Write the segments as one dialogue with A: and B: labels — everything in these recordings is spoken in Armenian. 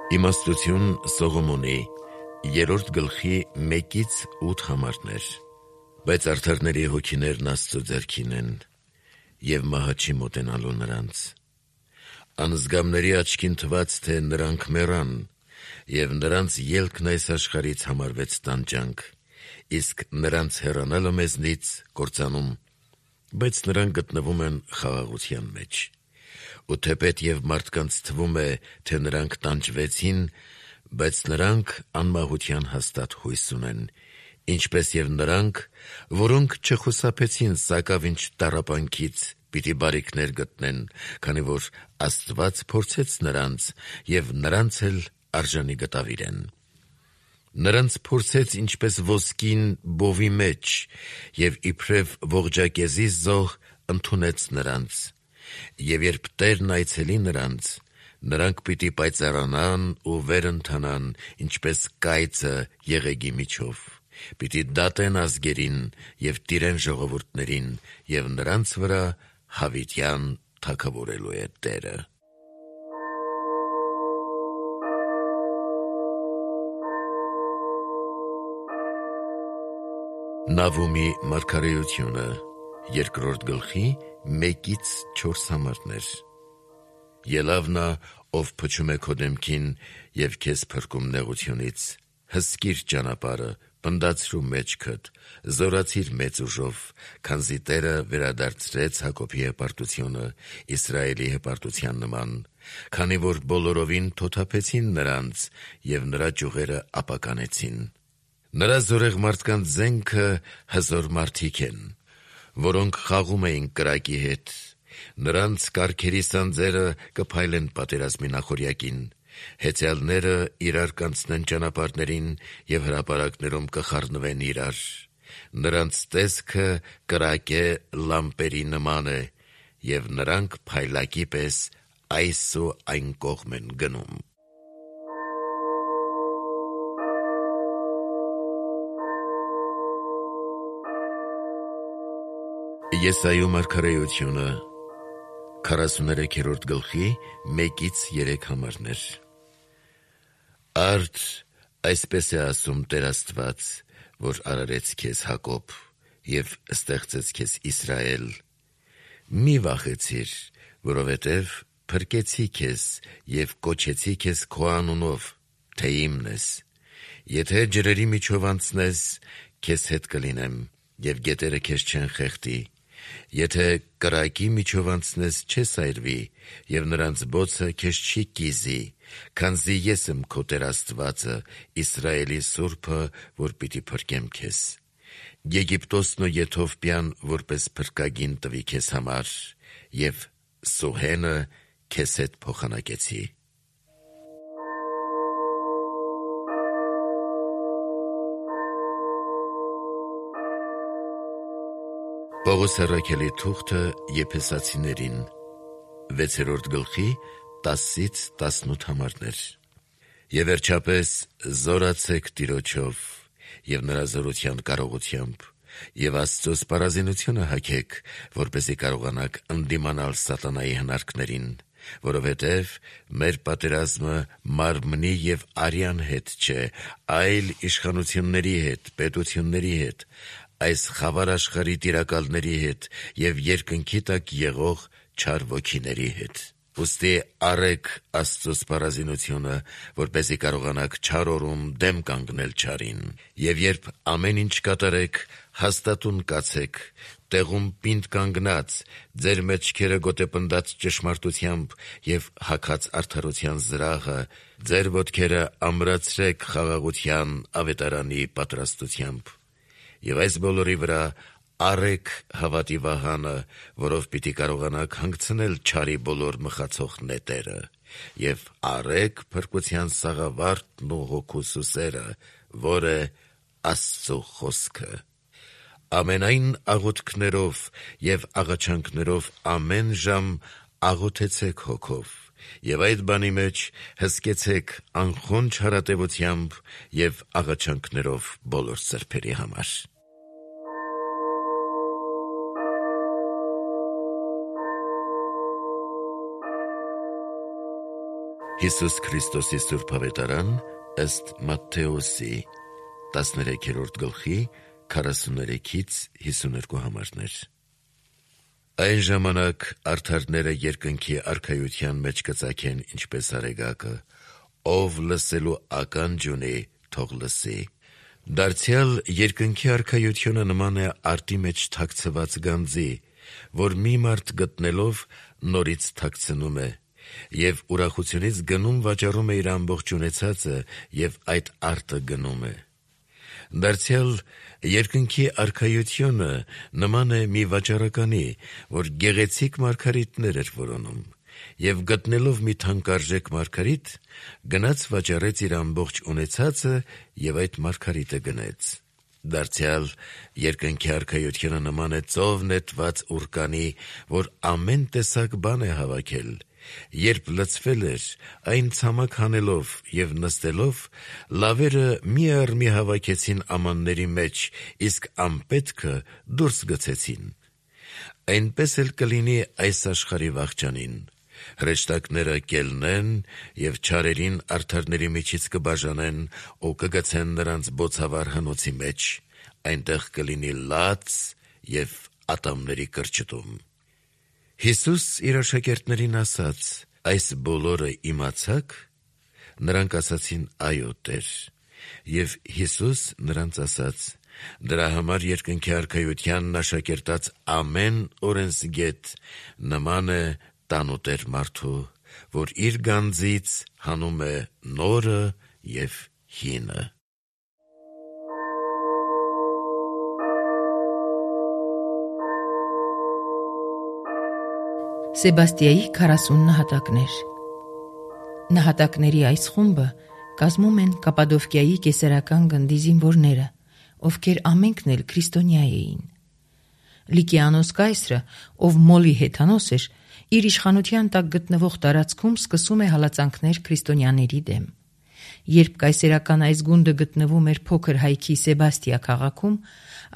A: Իմաստություն Սողոմոնի 3-րդ գլխի 1-8 համարներ։ Բայց արդարների հոգիներն Աստծո ձեռքին են, և մահը չի մոտենալու նրանց։ Անզգամների աչքին թվաց, թե նրանք մեռան, և նրանց ելքն այս աշխարհից համարվեց տանջանք, իսկ նրանց հեռանալը մեզնից կործանում, բայց նրանք գտնվում են խաղաղության մեջ։ Ու թեպետ և մարդկանց թվում է, թե նրանք տանջվեցին, բայց նրանք անմահության հաստատ հույս ունեն, ինչպես և նրանք, որոնք չխուսափեցին սակավինչ տառապանքից, պիտի բարիքներ գտնեն, քանի որ Աստված փորձեց նրանց, և նրանց էլ արժանի գտավիրեն։ Նրանց փորձեց ինչպես ոսկին բովի մեջ, և իբրև ողջակեզի զոհ ընդունեց նրանց։ Եվ երբ Տերն այցելի նրանց, նրանք պիտի պայծառանան ու վեր ընթանան, ինչպես կայծը եղեգի միջով, պիտի դատեն ազգերին և տիրեն ժողովուրդներին, և նրանց վրա հավիտյան թագավորելու է Տերը։ Նավումի մարգարեությունը 2-րդ գլխի 1-4 համարներ։ Ելավ նա, ով փչում է քո դեմքին և քեզ փրկում նեղությունից, հսկիր ճանապարհը, պնդացրու մեջքդ, զորացիր մեծ ուժով, քանզի Տերը վերադարձրեց Հակոբի հպարտությունը Իսրայելի հպարտության նման, քանի որ բոլորովին թոթափեցին նրանց և նրա ճյուղերը ապականեցին։ Նրա զորեղ մարդկանց զենքը հզոր մարդիկ են, որոնք խաղում էին կրակի հետ։ Նրանց կառքերի սանձերը կփայլեն պատերազմի նախօրյակին, հեծյալները իրար կանցնեն ճանապարհներին և հրապարակներում կխառնվեն իրար։ Նրանց տեսքը կրակե լամպերի նման է, և նրանք փայլակի պես այս ու այն կողմ են գնում։ Եսայու մարգարեությունը 43-րդ գլխի 1-3 համարներ։ Արդ այսպես է ասում Տեր Աստված, որ արարեց քեզ Հակոբ և ստեղծեց քեզ Իսրայել. մի վախեցիր, որովհետև փրկեցի քեզ և կոչեցի քեզ քո անունով, թե իմն ես։ Եթե ջրերի միջով անցնես, քեզ հետ կլինեմ, և գետերը քեզ չեն խեղդի։ Եթե կրակի միջով անցնես, չես այրվի, և նրանց բոցը քեզ չի կիզի, քանզի ես եմ քո Տեր Աստվածը, Իսրայելի Սուրբը, որ պիտի փրկեմ քեզ։ Եգիպտոսն ու Եթովպիան որպես փրկագին տվի քեզ համար, և Սուհենը քեզ հետ փոխանակեցի։ Պողոս առաքյալի թուղթը Եփեսացիներին 6-րդ գլխի 10-18 համարներ։ Եվ վերջապես զորացեք Տիրոջով և նրա զորության կարողությամբ, և Աստծո սպառազինությունը հագեք, որպեսզի կարողանաք ընդդիմանալ սատանայի հնարքներին, որովհետև մեր պատերազմը մարմնի և արյան հետ չէ, այլ իշխանությունների հետ, պետությունների հետ, այս խավար աշխարհի տիրակալների հետ և երկնքի տակ եղող չար ոգիների հետ։ Ուստի առեք Աստծո սպառազինությունը, որպեսզի կարողանաք չար օրում դեմ կանգնել չարին, և երբ ամեն ինչ կատարեք, հաստատուն կացեք, տեղում պինդ կանգնած, ձեր մեջքերը գոտեպնդած ճշմարտությամբ և հագած արդարության զրահը, ձեր ոտքերը ամրացրեք խաղաղության ավետարանի պատրաստությամբ։ Եվ այս բոլորի վրա առեք հավատի վահանը, որով պիտի կարողանաք հանգցնել չարի բոլոր մխացող նետերը, և առեք փրկության սաղավարտն ու հոգու սուսերը, որ է Աստծո խոսքը։ Ամենայն աղոթքներով և աղաչանքներով ամեն ժամ աղոթեցեք Հոգով, և այդ բանի մեջ հսկեցեք անխոնջ հարատևությամբ և աղաչանքներով բոլոր սրբերի համար։ Հիսուս Քրիստոսի Սուրբ Ավետարան ըստ Մատթեոսի 13-րդ գլխի 43-52 համարներ։ Այն ժամանակ արդարները երկնքի արքայության մեջ կծագեն ինչպես արեգակը, ով լսելու ականջ ունի, թող լսի։ Դարձյալ երկնքի արքայությունը նման է արտի մեջ թաքցված գանձի, որ մի մարդ գտնելով նորից թաքցնում է, և ուրախությունից գնում վաճառում է իր ամբողջ ունեցածը և այդ արտը գնում է։ Դարձյալ երկնքի արքայությունը նման է մի վաճառականի, որ գեղեցիկ մարգարիտներ էր որոնում, և գտնելով մի թանկարժեք մարգարիտ, գնաց վաճառեց իր ամբողջ ունեցածը և այդ մարգարիտը գնեց։ Դարձյալ երկնքի արքայությունը նման է ծով նետված ուռկանի, որ ամեն տեսակ բան է հավաքել։ Երբ լցվել էր, այն ցամաք հանելով և նստելով, լավերը մի առ մի հավաքեցին ամանների մեջ, իսկ անպետքը դուրս գցեցին։ Այնպես էլ կլինի այս աշխարհի վախճանին։ Հրեշտակները կելնեն և չարերին արդարների միջից կբաժանեն ու կգցեն նրանց բոցավառ հնոցի մեջ, այնտեղ կլինի լաց և ատամների կրճտում։ Հիսուս իր աշակերտներին ասաց. «Այս բոլորը իմացա՞ք»։ Նրանք ասացին. «Այո, Տեր»։ Եվ Հիսուս նրանց ասաց. «Դրա համար երկնքի արքայությանն աշակերտած ամեն օրենսգետ նման է տանուտեր մարդու, որ իր գանձից հանում է նորը և հինը»։
B: Սեբաստիայի 40 նահատակներ։ Նահատակների այս խումբը կազմում են Կապադովկիայի կեսարական գնդի զինվորները, ովքեր ամենքն էլ քրիստոնյա էին։ Լիկիանոս կայսրը, ով Մոլի հեթանոս էր, իր իշխանության տակ գտնվող տարածքում սկսում է հալածանքներ քրիստոնյաների դեմ։ Երբ կայսերական այս գունդը գտնվում էր փոքր հայքի Սեբաստիա քաղաքում,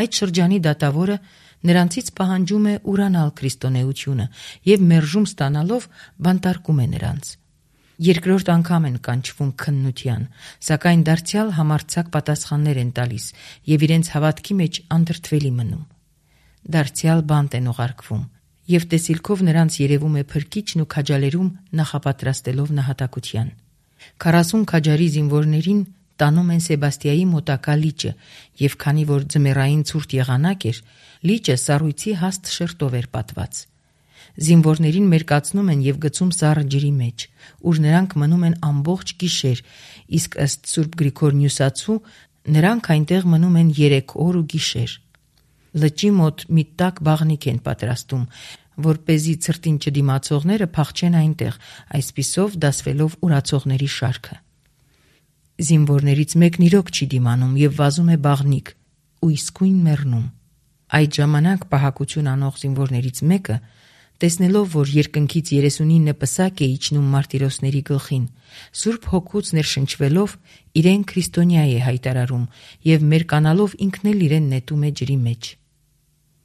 B: այդ շրջանի դատավորը նրանցից պահանջում է ուրանալ քրիստոնեությունը և մերժում ստանալով բանտարկում է նրանց։ Երկրորդ անգամ են կանչվում քննության, սակայն դարձյալ համարձակ պատասխաններ են տալիս և իրենց հավատքի մեջ անդրդվելի մնում։ Դարձյալ բանտ են ուղարկվում, և տեսիլքով նրանց երևում է փրկիչն ու քաջալերում նախապատրաստելով նահատակության։ 40 քաջարի զինվորներին տանում են Սեբաստիայի մոտակա լիճը, և քանի որ ձմեռային ցուրտ եղանակ էր, լիճը սառույցի հաստ շերտով էր պատված։ Զինվորներին մերկացնում են և գցում սառը ջրի մեջ, ուր նրանք մնում են ամբողջ գիշեր, իսկ ըստ Սուրբ Գրիգոր Նյուսացու նրանք այնտեղ մնում են 3 օր ու գիշեր։ Լճի մոտ մի տաք բաղնիք են պատրաստում, որպեսզի ցրտին չդիմացողները փախչեն այնտեղ, այսպիսով դասվելով ուրացողների շարքը։ Զինվորներից մեկն իրոք չի դիմանում և վազում է բաղնիք ու իսկույն մեռնում։ Այդ ժամանակ պահակություն անող զինվորներից մեկը, տեսնելով, որ երկնքից 39 պսակ է իջնում մարտիրոսների գլխին, Սուրբ Հոգուց ներշնչվելով իրեն քրիստոնյա է հայտարարում և մերկանալով ինքն էլ իրեն նետում է ջրի մեջ,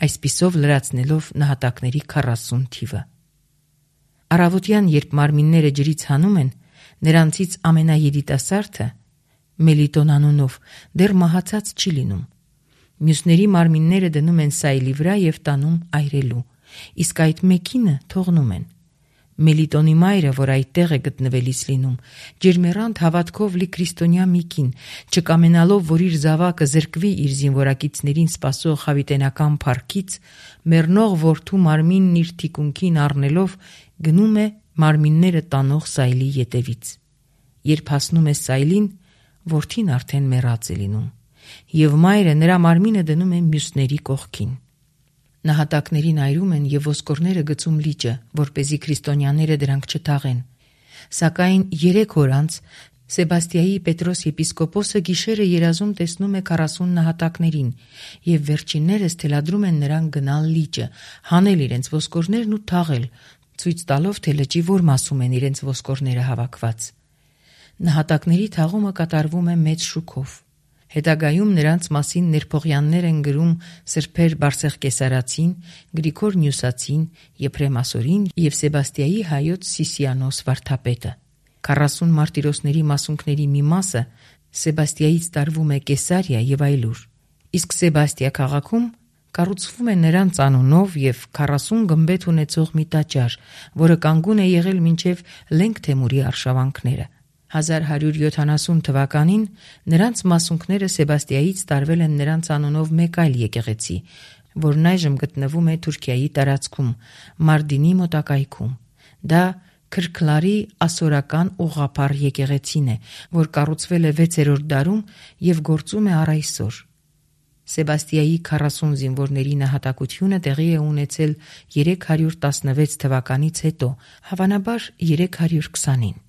B: այսպիսով լրացնելով նահատակների 40 թիվը։ Առավոտյան, երբ մարմինները ջրից հանում են, նրանցից ամենաերիտասարդը, Մելիտոն անունով, դեռ մահացած չի լինում։ Մյուսների մարմինները դնում են սայլի վրա և տանում այրելու, իսկ այդ մեկինը թողնում են։ Մելիտոնի մայրը, որ այդտեղ է գտնվելիս լինում, ջերմեռանդ հավատքով լի քրիստոնյա մի կին, չկամենալով, որ իր զավակը զրկվի իր զինվորակիցներին սպասող հավիտենական փառքից, մեռնող որդու մարմինն իր թիկունքին առնելով գնում է մարմինները տանող սայլի ետևից։ Երբ հասնում է սայլին, որդին արդեն մեռած է լինում, և մայրը նրա մարմինը դնում է մյուսների կողքին։ Նահատակներին այրում են և ոսկորները գցում լիճը, որպեսզի քրիստոնյաները դրանք չթաղեն։ Սակայն 3 օր անց Սեբաստիայի Պետրոս եպիսկոպոսը գիշերը երազում տեսնում է 40 նահատակներին, և վերջիններս թելադրում են նրան գնալ լիճը, հանել իրենց ոսկորներն ու թաղել, ցույց տալով, թե լճի որ մասում են իրենց ոսկորները հավաքված։ Նահատակների թաղումը կատարվում է մեծ շուքով։ Հետագայում նրանց մասին ներփողյաններ են գրում Սրբեր Բարսեղկեսարացին, Գրիգոր Նյուսացին, Եփրեմ Ասորին և Սեբաստիայի հայոց Սիսիանոս վարդապետը։ 40 մարտիրոսների մասունքների մի մասը Սեբաստիայից տարվում է Կեսարիա եւ այլուր։ Իսկ Սեբաստիա քաղաքում կառուցվում է նրանց անունով եւ 40 գմբեթ ունեցող մի տաճար, որը կանգուն է եղել մինչև Լենք Թեմուրի արշավանքները։ 1170 թվականին նրանց մասունքները Սեբաստիայից տարվել են նրանց անունով մեկ այլ եկեղեցի, որն այժմ գտնվում է Թուրքիայի տարածքում, Մարդինի մոտակայքում։ Դա Քրքլարի ասորական ուղղափառ եկեղեցին է, որ կառուցվել է 6-րդ դարում եւ գործում է առ այսօր։ Սեբաստիայի 40 զինվորների նահատակությունը տեղի է ունեցել 316 թվականից հետո, հավանաբար 320-ին։